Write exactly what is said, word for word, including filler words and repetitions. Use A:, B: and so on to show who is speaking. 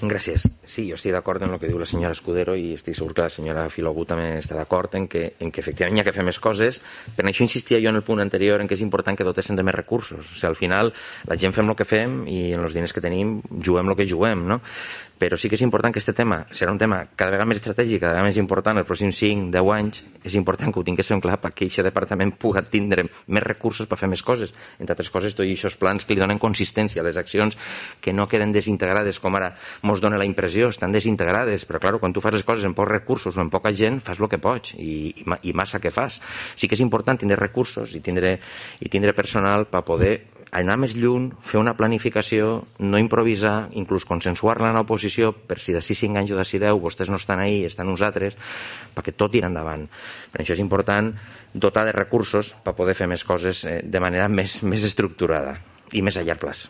A: Gràcies. Sí, jo estic d'acord amb el que diu la senyora Escudero i estic segur que la senyora Filogú també està d'acord en que, en que efectivament hi ha que fer més coses. Per això insistia jo en el punt anterior en que és important que dotessin de més recursos. O sigui, al final la gent fem el que fem i en els diners que tenim juguem el que juguem, no? Però sí que és important que aquest tema serà un tema cada vegada més estratègic, cada vegada més important els pròxims cinc deu anys. És important que ho tinguéssim clar perquè aquest departament pugui tindre més recursos per fer més coses. Entre altres coses, tots aquests plans que li donen consistència a les accions, que no queden desintegrades com ara mos dona la impressió, estan desintegrades, però clar, quan tu fas les coses amb pocs recursos o amb poca gent, fas el que pots i, i, i massa que fas. Sí que és important tindre recursos i tindre, i tindre personal per poder anar més lluny, fer una planificació, no improvisar, inclús consensuar-la en l'oposició, per si d'ací cinc anys o d'ací deu vostès no estan ahí, estan nosaltres, perquè tot irà endavant. Per això és important dotar de recursos per poder fer més coses de manera més, més estructurada i més a llarg plaç.